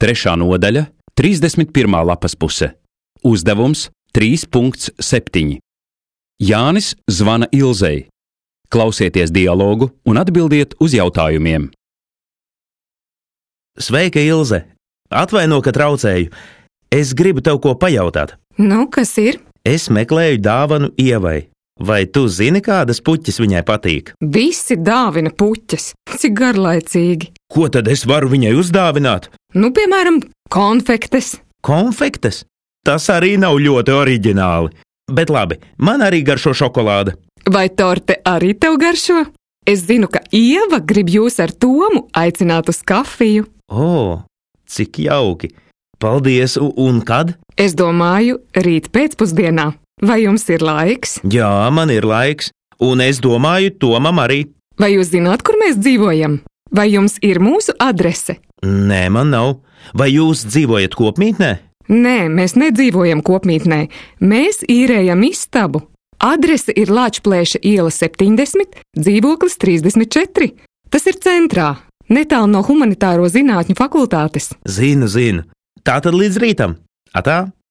3. nodaļa, 31. lapas puse. Uzdevums 3.7. Jānis zvana Ilzei. Klausieties dialogu un atbildiet uz jautājumiem. Sveika, Ilze! Atvaino, ka traucēju. Es gribu tev ko pajautāt. Nu, kas ir? Es meklēju dāvanu Ievai. Vai tu zini, kādas puķes viņai patīk? Visi dāvina puķes. Cik garlaicīgi. Ko tad es varu viņai uzdāvināt? Nu, piemēram, konfektes. Konfektes? Tas arī nav ļoti oriģināli. Bet labi, man arī garšo šokolāde. Vai torte arī tev garšo? Es zinu, ka Ieva grib jūs ar Tomu aicināt uz kafiju. O, cik jauki! Paldies, un kad? Es domāju, rīt pēcpusdienā. Vai jums ir laiks? Jā, man ir laiks, un es domāju, Tomam arī. Vai jūs zināt, kur mēs dzīvojam? Vai jums ir mūsu adrese? Nē, man nav. Vai jūs dzīvojat kopmītnē? Nē, mēs nedzīvojam kopmītnē. Mēs īrējam istabu. Adrese ir Lāčplēša iela 70, dzīvoklis 34. Tas ir centrā, netālu no Humanitāro zinātņu fakultātes. Zinu. Tātad līdz rītam. Atā!